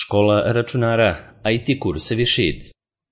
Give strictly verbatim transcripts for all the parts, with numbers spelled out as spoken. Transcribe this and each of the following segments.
Škola računara, I T kursevi Šid.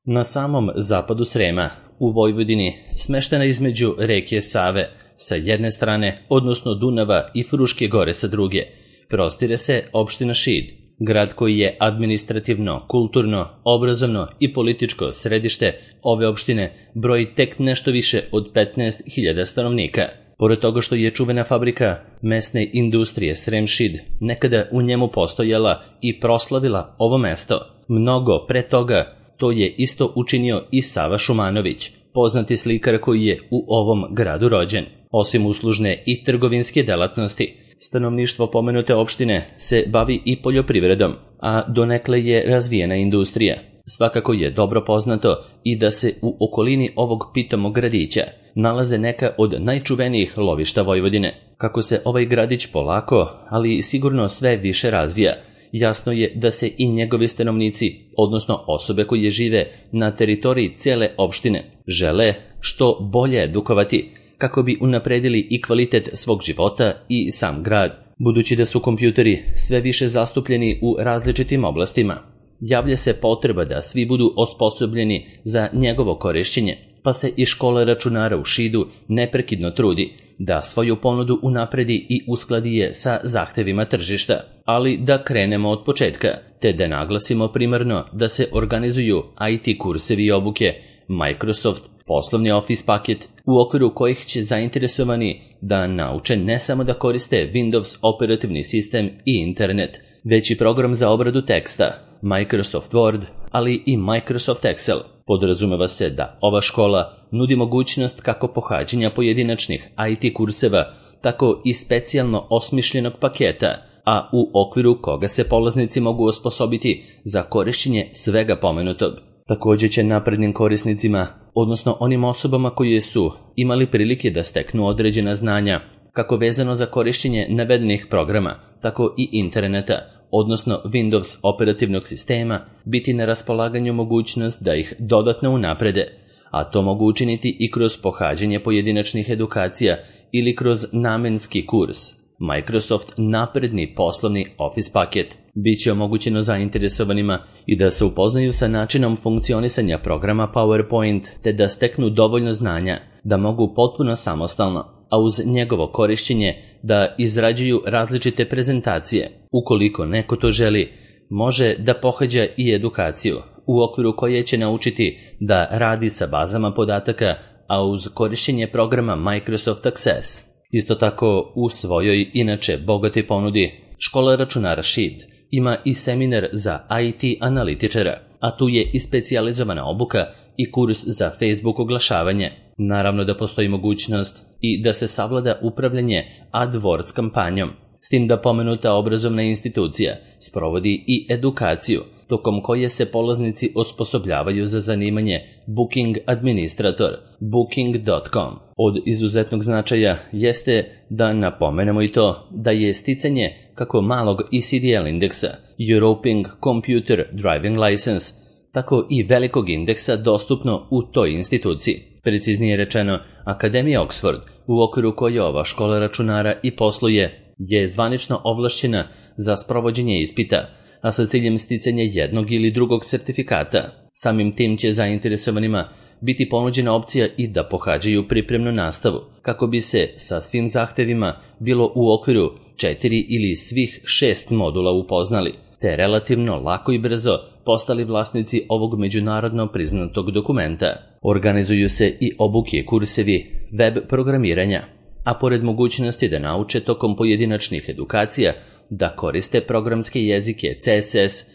Na samom zapadu Srema, u Vojvodini, smeštena između reke Save sa jedne strane, odnosno Dunava i Fruške gore sa druge, prostire se opština Šid, grad koji je administrativno, kulturno, obrazovno i političko središte ove opštine, broji tek nešto više od petnaest hiljada stanovnika. Pored toga što je čuvena fabrika mesne industrije Srem Šid nekada u njemu postojala i proslavila ovo mesto, mnogo pre toga to je isto učinio i Sava Šumanović, poznati slikar koji je u ovom gradu rođen. Osim uslužne i trgovinske delatnosti, stanovništvo pomenute opštine se bavi i poljoprivredom, a donekle je razvijena industrija. Svakako je dobro poznato i da se u okolini ovog pitomog gradića nalaze neka od najčuvenijih lovišta Vojvodine. Kako se ovaj gradić polako, ali sigurno sve više razvija, jasno je da se i njegovi stanovnici, odnosno osobe koje žive na teritoriji cele opštine, žele što bolje edukovati, kako bi unapredili i kvalitet svog života i sam grad. Budući da su kompjuteri sve više zastupljeni u različitim oblastima, javlja se potreba da svi budu osposobljeni za njegovo korišćenje, pa se i škola računara u Šidu neprekidno trudi da svoju ponudu unapredi i uskladi je sa zahtevima tržišta. Ali da krenemo od početka, te da naglasimo primarno da se organizuju I T kursevi i obuke, Microsoft, poslovni Office paket, u okviru kojih će zainteresovani da nauče ne samo da koriste Windows operativni sistem i internet, već i program za obradu teksta, Microsoft Word, ali i Microsoft Excel. Podrazumeva se da ova škola nudi mogućnost kako pohađanja pojedinačnih I T kurseva, tako i specijalno osmišljenog paketa, a u okviru koga se polaznici mogu osposobiti za korišćenje svega pomenutog. Također će naprednim korisnicima, odnosno onim osobama koje su imali prilike da steknu određena znanja, kako vezano za korišćenje navedenih programa, tako i interneta, odnosno Windows operativnog sistema, biti na raspolaganju mogućnost da ih dodatno unaprede, a to mogu učiniti i kroz pohađanje pojedinačnih edukacija ili kroz namenski kurs. Microsoft napredni poslovni Office paket. Biće omogućeno zainteresovanima i da se upoznaju sa načinom funkcionisanja programa PowerPoint, te da steknu dovoljno znanja da mogu potpuno samostalno, a uz njegovo korišćenje da izrađuju različite prezentacije. Ukoliko neko to želi, može da pohađa i edukaciju, u okviru koje će naučiti da radi sa bazama podataka, a uz korišćenje programa Microsoft Access. Isto tako, u svojoj inače bogatoj ponudi, škola računara Šid ima i seminar za I T analitičara, a tu je i specijalizovana obuka i kurs za Facebook oglašavanje. Naravno da postoji mogućnost i da se savlada upravljanje AdWords kampanjom, s tim da pomenuta obrazovna institucija sprovodi i edukaciju, tokom koje se polaznici osposobljavaju za zanimanje Booking administrator, booking dot com. Od izuzetnog značaja jeste da napomenemo i to da je sticanje kako malog E C D L indeksa, European Computer Driving License, tako i velikog indeksa dostupno u toj instituciji. Preciznije rečeno, Akademija Oxford, u okviru koje ova škola računara i posluje, je zvanično ovlašćena za sprovođenje ispita, a sa ciljem sticanja jednog ili drugog sertifikata. Samim tim će zainteresovanima biti ponuđena opcija i da pohađaju pripremnu nastavu, kako bi se sa svim zahtevima bilo u okviru četiri ili svih šest modula upoznali, te relativno lako i brzo postali vlasnici ovog međunarodno priznatog dokumenta. Organizuju se i obuke kursevi web programiranja, a pored mogućnosti da nauče tokom pojedinačnih edukacija da koriste programske jezike C S S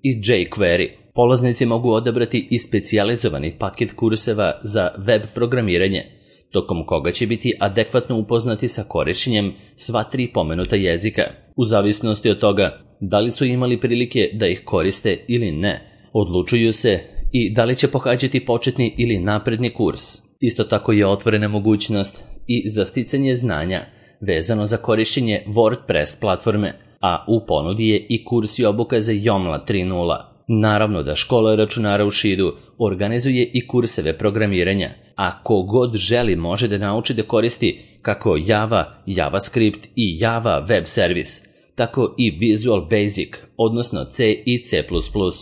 i jQuery, polaznici mogu odabrati i specijalizovani paket kurseva za web programiranje, tokom koga će biti adekvatno upoznati sa korišćenjem sva tri pomenuta jezika. U zavisnosti od toga da li su imali prilike da ih koriste ili ne, odlučuju se i da li će pohađati početni ili napredni kurs. Isto tako je otvorena mogućnost i za sticanje znanja vezano za korišćenje WordPress platforme, a u ponudi je i kurs i obuka za Joomla tri nula. Naravno da škola računara u Šidu organizuje i kurseve programiranja, a ko god želi može da nauči da koristi kako Java, JavaScript i Java web servis, tako i Visual Basic, odnosno C i C plus plus.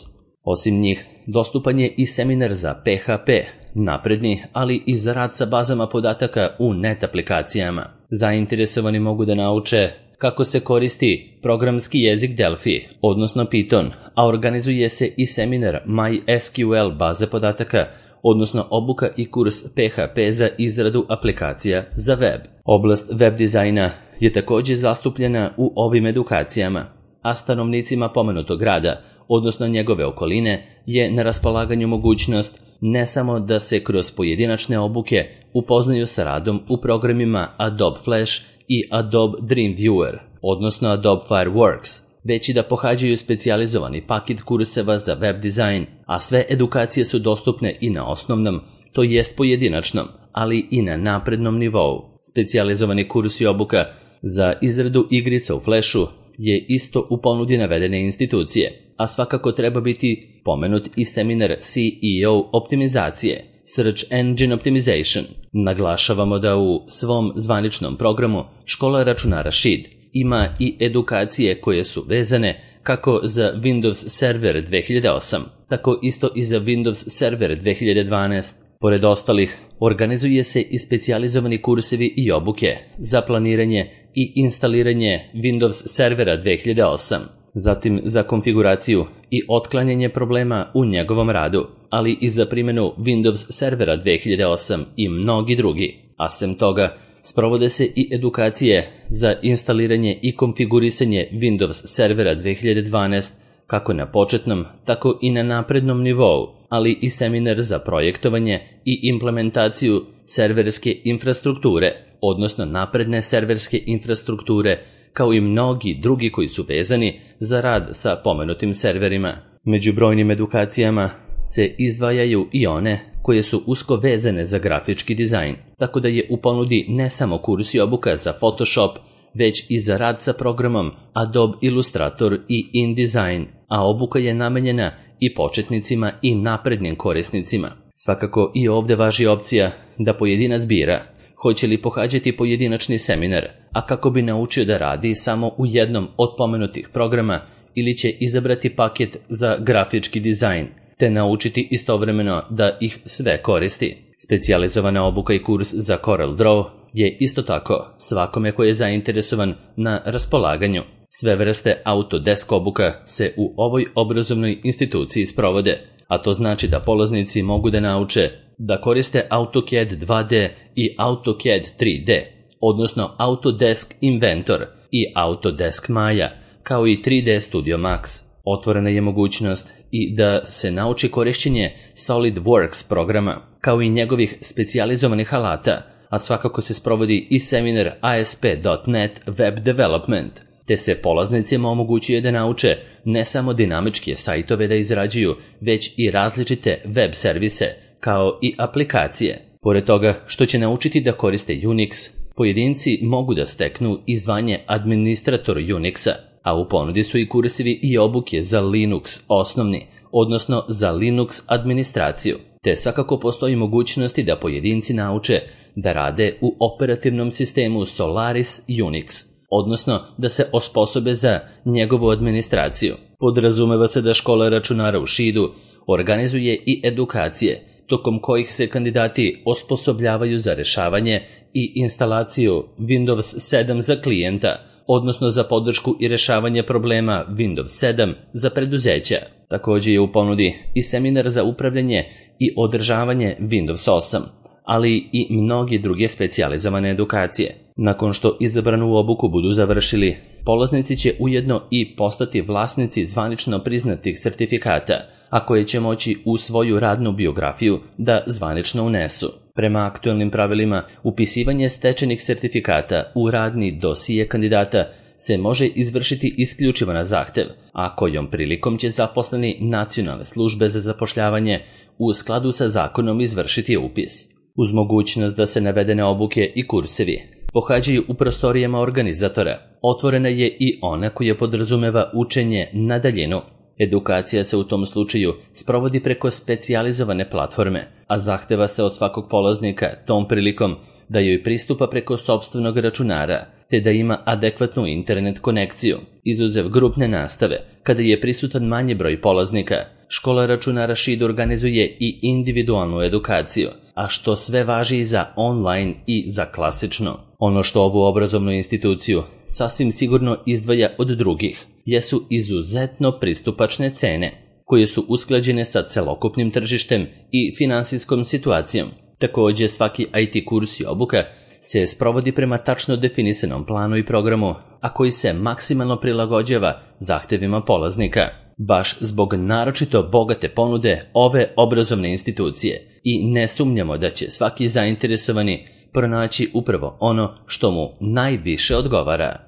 Osim njih, dostupan je i seminar za P H P, napredni, ali i za rad sa bazama podataka u net aplikacijama. Zainteresovani mogu da nauče kako se koristi programski jezik Delphi, odnosno Python, a organizuje se i seminar MySQL baze podataka, odnosno obuka i kurs P H P za izradu aplikacija za web. Oblast web dizajna je također zastupljena u ovim edukacijama, a stanovnicima pomenutog grada, odnosno njegove okoline, je na raspolaganju mogućnost ne samo da se kroz pojedinačne obuke upoznaju sa radom u programima Adobe Flash i Adobe Dreamweaver, odnosno Adobe Fireworks, već i da pohađaju specijalizovani paket kurseva za web dizajn, a sve edukacije su dostupne i na osnovnom, to jest pojedinačnom, ali i na naprednom nivou. Specijalizovani kurs i obuka za izradu igrica u Flashu je isto u ponudi navedene institucije, a svakako treba biti pomenut i seminar C E O optimizacije, Search Engine Optimization. Naglašavamo da u svom zvaničnom programu Škola računara Šid ima i edukacije koje su vezane kako za Windows Server dve hiljade osam, tako isto i za Windows Server dve hiljade dvanaest. Pored ostalih, organizuje se i specijalizovani kursevi i obuke za planiranje i instaliranje Windows Servera dve hiljade osam, zatim za konfiguraciju i otklanjanje problema u njegovom radu, ali i za primjenu Windows Servera dve hiljade osam i mnogi drugi. A sem toga, sprovode se i edukacije za instaliranje i konfigurisanje Windows Servera dve hiljade dvanaest kako na početnom, tako i na naprednom nivou, ali i seminar za projektovanje i implementaciju serverske infrastrukture, odnosno napredne serverske infrastrukture, kao i mnogi drugi koji su vezani za rad sa pomenutim serverima. Među brojnim edukacijama se izdvajaju i one koje su usko vezane za grafički dizajn, tako da je u ponudi ne samo kurs i obuka za Photoshop, već i za rad sa programom Adobe Illustrator i InDesign, a obuka je namenjena i početnicima i naprednim korisnicima. Svakako i ovdje važi opcija da pojedinac bira hoće li pohađati pojedinačni seminar, a kako bi naučio da radi samo u jednom od pomenutih programa, ili će izabrati paket za grafički dizajn, te naučiti istovremeno da ih sve koristi. Specijalizovana obuka i kurs za Corel Draw je isto tako svakome ko je zainteresovan na raspolaganju. Sve vrste Autodesk obuka se u ovoj obrazovnoj instituciji sprovode, a to znači da polaznici mogu da nauče da koriste AutoCAD dva D i AutoCAD tri D, odnosno Autodesk Inventor i Autodesk Maya, kao i tri D Studio Max. Otvorena je mogućnost i da se nauči korišćenje SolidWorks programa, kao i njegovih specijalizovanih alata, a svakako se sprovodi i seminar A S P dot net Web Development, te se polaznicima omogućuje da nauče ne samo dinamičke sajtove da izrađuju, već i različite web servise, kao i aplikacije. Pored toga što će naučiti da koriste Unix, pojedinci mogu da steknu i zvanje administrator Unixa, a u ponudi su i kursevi i obuke za Linux osnovni, odnosno za Linux administraciju, te svakako postoji mogućnosti da pojedinci nauče da rade u operativnom sistemu Solaris Unix, odnosno da se osposobe za njegovu administraciju. Podrazumeva se da Škola računara u Šidu organizuje i edukacije, tokom kojih se kandidati osposobljavaju za rešavanje i instalaciju Windows sedam za klijenta, odnosno za podršku i rešavanje problema Windows sedam za preduzeća. Također je u ponudi i seminar za upravljanje i održavanje Windows osam, ali i mnogi druge specijalizovane edukacije. Nakon što izabranu obuku budu završili, polaznici će ujedno i postati vlasnici zvanično priznatih sertifikata, a koje će moći u svoju radnu biografiju da zvanično unesu. Prema aktuelnim pravilima, upisivanje stečenih sertifikata u radni dosije kandidata se može izvršiti isključivo na zahtev, a kojom prilikom će zaposleni Nacionalne službe za zapošljavanje u skladu sa zakonom izvršiti upis. Uz mogućnost da se navedene obuke i kursevi pohađaju u prostorijama organizatora, otvorena je i ona koja podrazumeva učenje na daljinu. Edukacija se u tom slučaju sprovodi preko specijalizovane platforme, a zahteva se od svakog polaznika tom prilikom da joj pristupa preko sopstvenog računara, te da ima adekvatnu internet konekciju. Izuzev grupne nastave, kada je prisutan manji broj polaznika, škola računara Šid organizuje i individualnu edukaciju, a što sve važi i za online i za klasično. Ono što ovu obrazovnu instituciju sasvim sigurno izdvaja od drugih jesu izuzetno pristupačne cene, koje su usklađene sa celokupnim tržištem i finansijskom situacijom. Također, svaki I T kurs i obuka se sprovodi prema tačno definisanom planu i programu, a koji se maksimalno prilagođava zahtevima polaznika. Baš zbog naročito bogate ponude ove obrazovne institucije i ne sumnjamo da će svaki zainteresovani pronaći upravo ono što mu najviše odgovara.